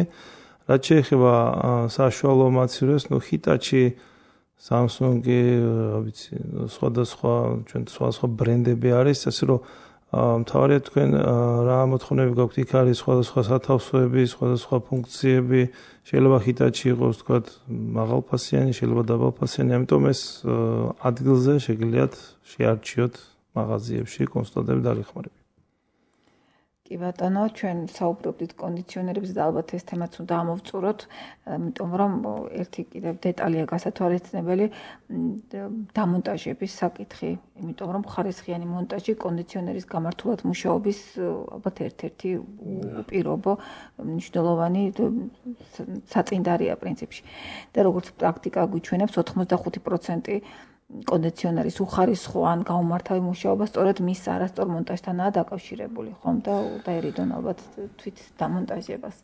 რაც შეეხება საშუალო მაცივარებს, Hitachi Samsung-ი, ვიცი, სხვადასხვა ჩვენ სხვადასხვა ბრენდები არის, ასე რომ მთავარია თქვენ რა მოთხოვნები გაქვთ, იქ არის სხვადასხვა სათავსოები, სხვადასხვა ფუნქციები, შეიძლება Hitachi იყოს, თქვათ, მაღალფასიანი, შეიძლება დაბალფასიანი, ამიტომ ეს ადგილზე შეგიძლიათ შეარჩიოთ მაღაზიებში კონსულტანტები დაგეხმარებით.
კი ბატონო, ჩვენ საუბრობდით კონდიციონერებზე და ალბათ ეს თემაც უნდა ამოვწუროთ, იმიტომ რომ ერთი კიდევ დეტალია გასათვალისწინებელი დამონტაჟების საკითხი, იმიტომ რომ ხარისხიანი მონტაჟი კონდიციონერის გამართულად მუშაობის ალბათ ერთ-ერთი უპირობო მნიშვნელოვანი საწინდარია პრინციპში. და როგორც პრაქტიკა გვიჩვენებს 85% კონდიციონერის უხარისხო ან გაუმართავი მუშაობა სწორედ მის არასწორ მონტაჟთანაა დაკავშირებული, ხომ და დაერიდონ ალბათ თვით დამონტაჟებას.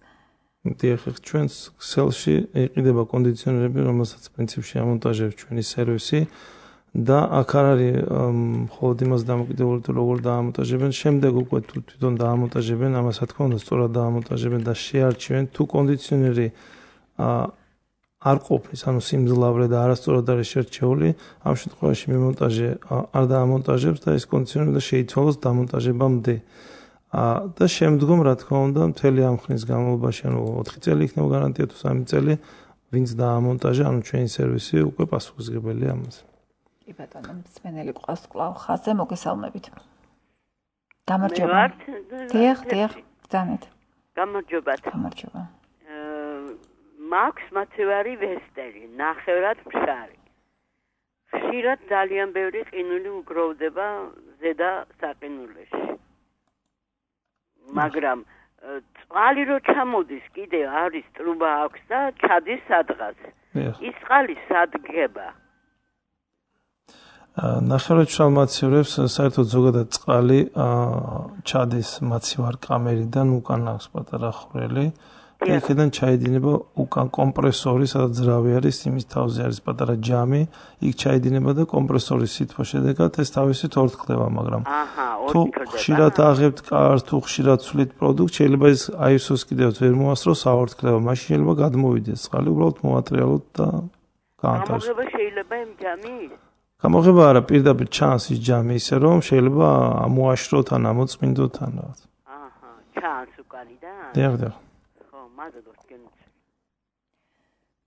დიახ, ჩვენს ქსელში იყიდება კონდიციონერები, რომელსაც პრინციპში ამონტაჟებს ჩვენი სერვისი და აქ არ არის მხოლოდ იმას დამოკიდებული, თუ როგორ დაამონტაჟებენ, შემდეგ უკვე თუ თვითონ დაამონტაჟებენ, ამას რა თქმა უნდა სწორად დაამონტაჟებენ და შეარჩევენ, თუ კონდიციონერი არ ყოფნის, ანუ სიმძლავრე და არასწორად არის შერჩეული, ამ შემთხვევაში მიმონტაჟე არ დაამონტაჟებს და ეს კონდიციონერი უნდა შეიცვალოს დამონტაჟებამდე. და შემდგომ, რა თქმა უნდა, მთელი ამ ხნის განმავლობაში, ანუ 4 წელი იქნება გარანტია თუ 3 წელი, ვინც დაამონტაჟა, ანუ ჩვენი სერვისი უკვე პასუხისმგებელია ამაზე.
კი ბატონო, მსმენელი ყავს კვლავ ხაზზე, მოგესალმებით. გამარჯობა. დიახ, ბრძანეთ.
გამარჯობა. მაქვს მაცივარი ვესტერი, ნახევრად ფშარი. ხშირად ძალიან ბევრი ყინული უგროვდება ზედა საყინულში. მაგრამ წყალი რო ჩამოდის, კიდე არის ტრუბა აქვს და ჩადის სადღაც. ის წყალი სადგება.
ნახევრად მშრალ მაცივარებს საერთოდ ზოგადად წყალი ჩადის მაცივარ კამერიდან უკან აქვს პატარა ხვრელი. იქიდან ჩაედინება უკან კომპრესორი, სადაც ძრავი არის, იმის თავზე არის პატარა ჯამი, იქ ჩაედინება და კომპრესორის სითბოს შედეგად ეს თავისით ორთქლება, მაგრამ თუ ხშირად აღებთ კარს, თუ ხშირად ცვლით პროდუქტს, შეიძლება ეს ISO-ს კიდევ ვერ მოასწროს აორთქლება, მაშინ შეიძლება გადმოვიდეს წყალი, უბრალოდ მოვატრიალოთ და გაანთავისუფლოთ.
გამოღება შეიძლება იმ ჯამის?
გამოღება არა, პირდაპირ ჩანს ის ჯამი ისე რომ შეიძლება ამოაშროთ ან ამოწმინდოთ ან რაღაც.
ჩანს უკანიდან?
დიახ.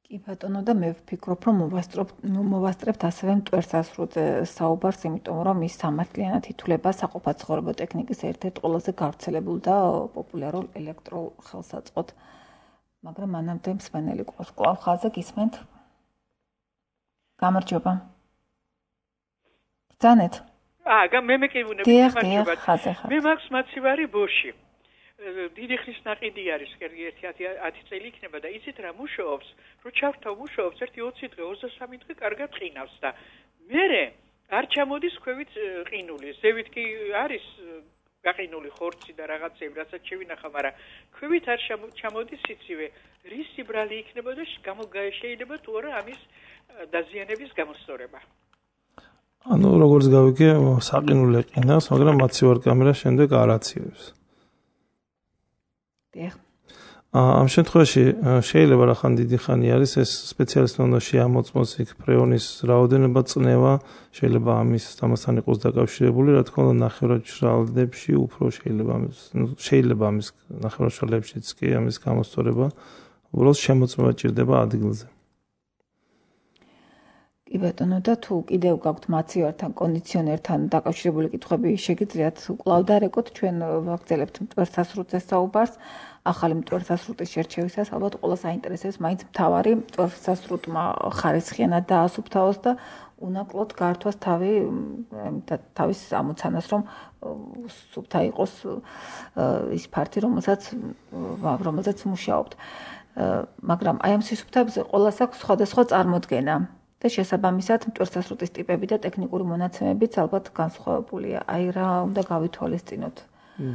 კი ბატონო და მე ვფიქრობ, რომ მოვასწრებთ ასევე მტვერსასრუტზე საუბარს, იმიტომ რომ ის სამართლიანად ითვლება საყოფაცხოვრებო ტექნიკის ერთ-ერთ ყველაზე გავრცელებულ და პოპულარულ ელექტრულ ხელსაწყოდ. მაგრამ მანამდე მსმენელი ყავს კვლავ ხაზზე, გისმენთ? გამარჯობა. ბრძანეთ.
მე მეკითხები,
გამარჯობა.
მე მაქვს მაცივარი ბოში. დიდი ხნის ნაყიდი არის, კერგი 10 წელი იქნება და იცით რა მუშაობს, რო ჩავთავ მუშაობს 1-20 დღე, 23 დღე კარგად ყინავს და მერე არ ჩამოდის ქვევით ყინული, ზევით კი არის გაყინული ხორცი და რაღაცები, რასაც შევინახა, მაგრამ ქვევით არ ჩამოდის იცივე, რის სიბრალი იქნება და შეიძლება თუ არა ამის დაზიანების გამოსწორება.
ანუ როგორც გავიგე, საყინულე ყინავს, მაგრამ მაცივარ კამერა შემდეგ არ აცივებს. ამ შემთხვევაში შეიძლება რახან დიდი ხანი არის ეს სპეციალისტი უნდა შეამოწმოს იქ ფრეონის რაოდენობა წნევა შეიძლება ამასთან იყოს დაკავშირებული რა თქმა უნდა ნახევრად მშრალებში უფრო შეიძლება ამის ნახევრად მშრალებშიც კი ამის გამოსწორება უბრალოდ შემოწმება ჭირდება ადგილზე.
კი ბატონო და თუ კიდევ გაქვთ მაცივართან კონდიციონერთან დაკავშირებული კითხვები შეგიძლიათ კვლავ დარეკოთ ჩვენ ვაგრძელებთ მტვერსასრუტზე საუბარს ახალი მტვერსასრუტის შერჩევისას ალბათ ყველას აინტერესებს მაინც მთავარი მტვერსასრუტმა ხარისხიანად დაასუფთავოს და უნაკლოდ გართვას თავის ამოცანას რომ სუფთა იყოს ის ფართი რომელსაც მუშაობთ მაგრამ აი ამ სისუფთებზე ყველას აქვს სხვადასხვა წარმოდგენა და შესაბამისად მტვერსასრუტის ტიპები და ტექნიკური მონაცემებიც ალბათ განსხვავებულია. აი რა უნდა გავითვალისწინოთ?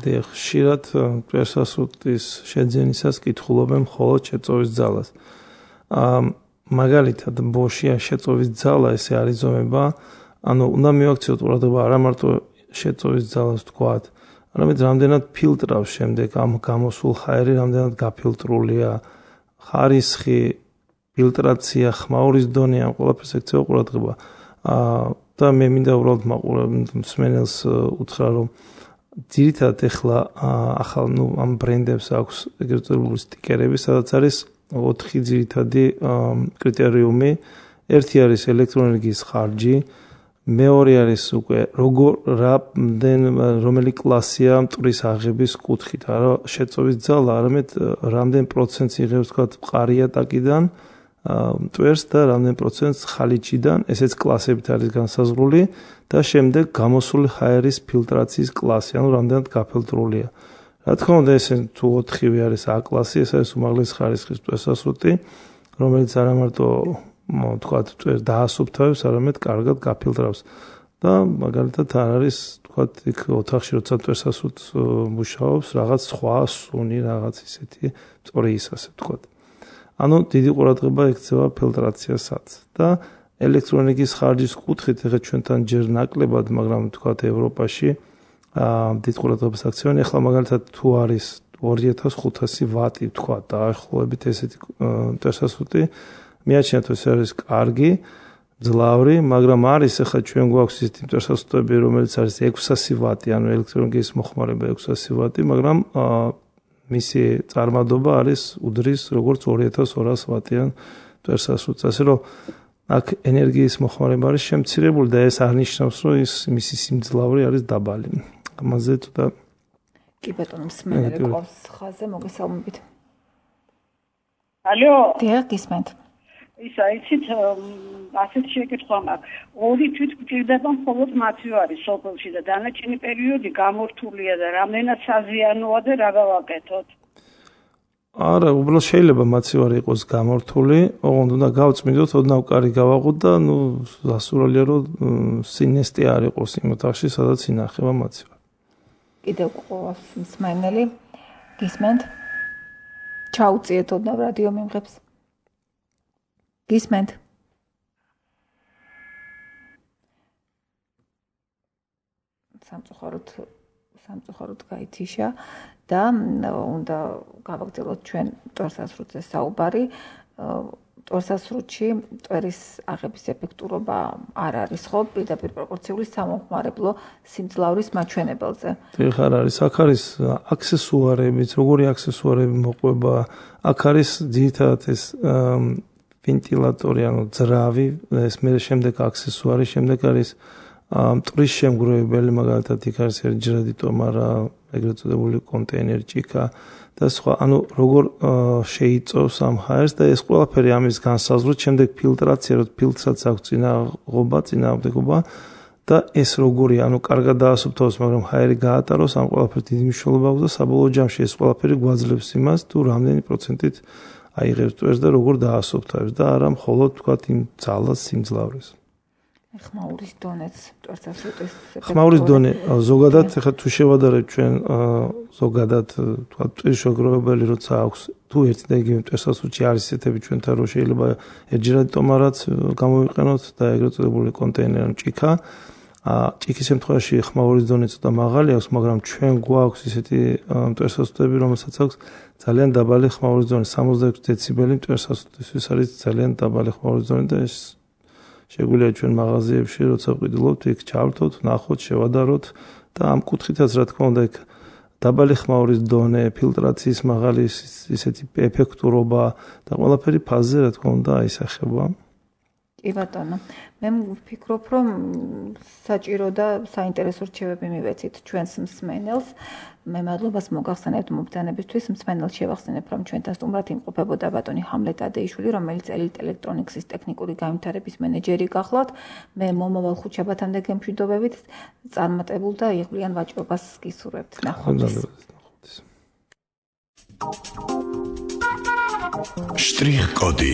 დიახ, ხშირად მტვერსასრუტის შეძენისას კითხულობენ მხოლოდ შეწოვის ძალას. მაგალითად, ბოშია შეწოვის ძალა ესე არის ზომება, ანუ უნდა მივაქციოთ ყურადღება არა მარტო შეწოვის ძალას ვთქვათ, არამედ რამდენად ფილტრავს შემდეგ ამ გამოსულ ჰაერი, რამდენად გაფილტრულია ხარისხი ფილტრაცია, ხმაურის დონე, ამ ყველაფერს ექცევა ყურადღება. და მე მინდა უბრალოდ მსმენელს უთხრა, რომ ძირითადად ეხლა ახალ ამ ბრენდებს აქვს ეგრეთ წოდებული სტიკერები, სადაც არის 4 ძირითადი კრიტერიუმი. ერთი არის ელექტროენერგიის ხარჯი, მეორე არის უკვე რომელი კლასია მტვრის აღების კუთხით, არა შეწოვის ძალა, არამედ რამდენ პროცენტს იღებს თქვა მყარია ტაკიდან მტვერს და რამდენ პროცენტს ხალიჩიდან, ესეც კლასებით არის განსაზღვრული და შემდეგ გამოსული ჰაერის ფილტრაციის კლასი, ანუ რამდენად გაფილტრულია. რა თქმა უნდა, ეს თუ 4-ვე არის A კლასი, ეს არის უმაღლესი ხარისხის მტვერსასრუტი, რომელიც არა მარტო თქვათ მტვერს დაასუფთავებს, არამედ კარგად გაფილტრავს. და მაგალითად არ არის თქვათ იქ ოთახში როცა მტვერსასრუტს მუშაობს, რაღაც სხვა სუნი, რაღაც ისეთი სწორი ის ასე თქვათ. ანუ დიდი ყურადღება ექცევა ფილტრაციასაც და ელექტროენერგიის ხარჯის კუთხით ეხლა ჩვენთან ჯერ ნაკლებად, მაგრამ თქვათ ევროპაში დიდ ყურადღებას აქცევენ. ეხლა მაგალითად თუ არის 2500 ვატი თქვათ დაახლოებით ესეთი მტვერსასრუტი, მიაჩნიათ ეს არის კარგი, ძლავრი, მაგრამ არის ეხლა ჩვენ გვაქვს ისეთი მტვერსასრუტები, რომელიც არის 600 ვატი, ანუ ელექტროენერგიის მოხმარება 600 ვატი, მაგრამ მისი წარმადობა არის უდრის როგორც 2200 ვატიან მტვერსასრუტს. ასე რომ აქ ენერგიის მოხმარება არის შემცირებული და ეს არ ნიშნავს, რომ ის მისი სიმძლავრე არის დაბალი. ამაზე ცოტა
კი ბატონო, მსმენელი ყავს ხაზზე, მოგესალმებით.
ალო.
დიახ, გისმენთ.
ისა იცით ასეთ შეკითხვა მაქვს. ორი თვით გვჭირდება მხოლოდ მათი არის სოფელში და დანარჩენი პერიოდი გამორთულია და რამდენად საზიანოა და რა გავაკეთოთ?
არა, უბრალოდ შეიძლება მაცივარი იყოს გამორთული, ოღონდ უნდა გავწმინდოთ, ოდნავ კარი გავაღოთ და დასურალია რომ სინესტე არ იყოს იმ ოთახში, სადაც ინახება მაცივარი.
კიდევ ყავს მსმენელი. გისმენთ? ჩაუწიეთ ოდნავ რადიო მიმღებს. გისმენთ? სამწუხაროდ გაითიშა და უნდა გავაგრძელოთ ჩვენ მტვერსასრუტზე საუბარი. მტვერსასრუტში მტვერის აღების ეფექტურობა არ არის ხო პირდაპირ პროპორციული სამომხმარებლო სიმძლავრის მაჩვენებელზე.
დიახ, არ არის. აქ არის აქსესუარებიც, როგორი აქსესუარები მოყვება. აქ არის ძირითადად ეს ვენტილატორი, ანუ ძრავი, ეს მე შემდეგ აქსესუარი, შემდეგ არის მტვრის შემგროვებელი, მაგალითად იქ არის ერთჯერადი ტომარა, ეგრეთ წოდებული კონტეინერი, ჭიქა და სხვა. ანუ როგორ შეიწოვს ამ ჰაერს და ეს ყველაფერი ამის განსაზღვრით, შემდეგ ფილტრაცია, რომ ფილტრსაც აქვს წინააღმდეგობა და ეს როგორი, ანუ კარგად დაასუფთავოს, მაგრამ ჰაერი გაატაროს, ამ ყველაფერს დიდი მნიშვნელობა აქვს და საბოლოო ჯამში ეს ყველაფერი გვაძლევს იმას, თუ რამდენი პროცენტით აიღებს მტვერს და როგორ დაასუფთავებს და არა მხოლოდ თქვათ იმ ძალას სიმძლავრეს.
ხმაურის დონეც მტვერსასრუტის
ხმაურის დონე ზოგადად ეხლა თუ შევადარებთ ჩვენ ზოგადად თქვა მტვრის შეგროვებელი როცა აქვს თუ ერთი და იგივე მტვერსასრუტში არის ისეთები ჩვენთან რომ შეიძლება ერთჯერადი ტომარაც გამოვიყენოთ და ეგრეთ წოდებული კონტეინერი ჭიქა. ჭიქის შემთხვევაში ხმაურის დონე ცოტა მაღალი აქვს, მაგრამ ჩვენ გვაქვს ისეთი მტვერსასრუტები, რომელსაც აქვს ძალიან დაბალი ხმაურის დონე, 66 დეციბელი მტვერსასრუტისთვის არის ძალიან დაბალი ხმაურის დონე და ეს შეგვიძლია ჩვენ მაღაზიებში როცა ვყიდულობთ, იქ ჩავრთოთ, ნახოთ, შევადაროთ და ამ კუთხითაც რა თქმა უნდა იქ დაბალი ხმაურის დონე, ფილტრაციის მაღალი ისეთი ეფექტურობა და ყველაფერი ფაზზე რა თქმა უნდა აისახება.
კი ბატონო, მე ვფიქრობ, რომ საჭირო და საინტერესო რჩევები მივეცით ჩვენს მსმენელს. მე მადლობას მოგახსენებთ მობრძანებისთვის. მსმენელს შევახსენებ, რომ ჩვენთან სტუმრად იმყოფებოდა ბატონი ჰამლეტ ადეიშვილი, რომელიც ელიტ ელექტრონიქსის ტექნიკური განვითარების მენეჯერი გახლავთ. მე მომავალ ხუთშაბათამდე გემშვიდობებით წარმატებულ და იღბლიან ვაჭრობას გისურვებთ. ნახვამდის.
შტრიხ-კოდი